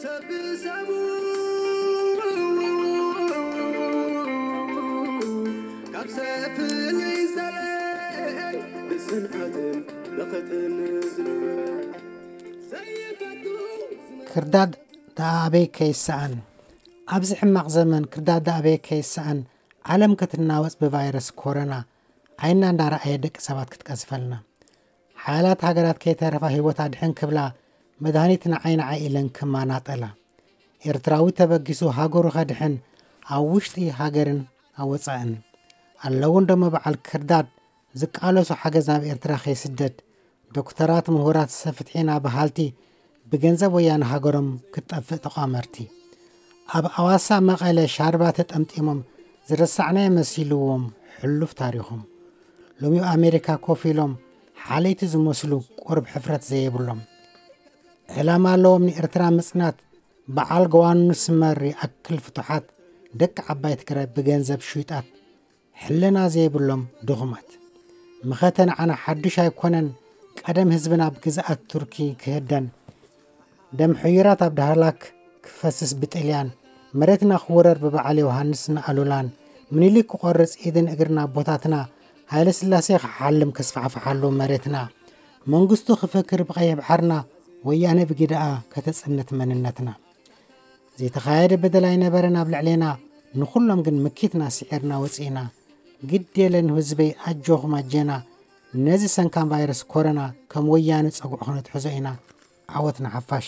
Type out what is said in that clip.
ሰብ ሰብ ካብ ሰብ ፍልይ ዘለ ብጽንዓትን ብኽጥን ዝንበር ዘይፈቱ ክርዳድ ደኣ ኣበይ ከይሰኣን። ኣብዚ ሕማቕ ዘመን ክርዳድ ደኣ ኣበይ ከይሰኣን፣ ዓለም ክትናወጽ ብቫይረስ ኮሮና ዓይና እንዳረኣየ ደቂ ሰባት ክትቀዝፈልና። ሓያላት ሃገራት ከይተረፋ ህይወት ኣድሕን ክብላ መድሃኒት ንዓይ ንዓይ ኢለን ክማናጠላ። ኤርትራዊ ተበጊሱ ሃገሩ ከድሕን ኣብ ውሽጢ ሃገርን ኣብ ወጻእን ኣለዉ እንደሞ በዓል ክርዳድ ዝቃለሱ ሓገዝ ናብ ኤርትራ ከይስደድ ዶክተራት ምሁራት ሰፍትሒና በሃልቲ ብገንዘብ ወያነ ሃገሮም ክትጠፍእ ተቋመርቲ ኣብ ኣዋሳ መቐለ ሻርባ ተጠምጢሞም ዝረሳዕናዮ መሲልዎም ሕሉፍ ታሪኾም ሎሚ ኣብ ኣሜሪካ ኮፍ ኢሎም ሓለይቲ ዝመስሉ ቁርብ ሕፍረት ዘየብሎም ዕላማ ኣለዎም ንኤርትራ ምጽናት በዓል ገዋኑ ስመር ይኣክል ፍቱሓት ደቂ ዓባይ ትግራይ ብገንዘብ ሽዩጣት ሕልና ዘይብሎም ድኹማት መኸተ ንዓና ሓዱሽ ኣይኮነን ቀደም ህዝብና ብግዝኣት ቱርኪ ክህደን ደም ሕዩራት ኣብ ዳህላክ ክፈስስ ብጥልያን መሬትና ክውረር ብበዓል ዮሃንስ ንኣሉላን ምኒልክ ክቆርጽ ኢድን እግርና ኣቦታትና ሃይለ ስላሴ ክሓልም ከስፋሕፍሓሉ መሬትና መንግስቱ ክፈክር ብቐይሕ ባሕርና ወያነ ብጊዳኣ ከተጽንት መንነትና ዘይተኻየደ በደል ኣይነበረን ኣብ ልዕሌና ንኹሎም ግን ምኪትና ስዒርና ወጺእና ግድ የለን ህዝበይ ኣጆኹም ኣጀና ነዚ ሰንካም ቫይረስ ኮረና ከም ወያነ ጸጉዑ ክነትሕዞ ኢና ዓወት ንሓፋሽ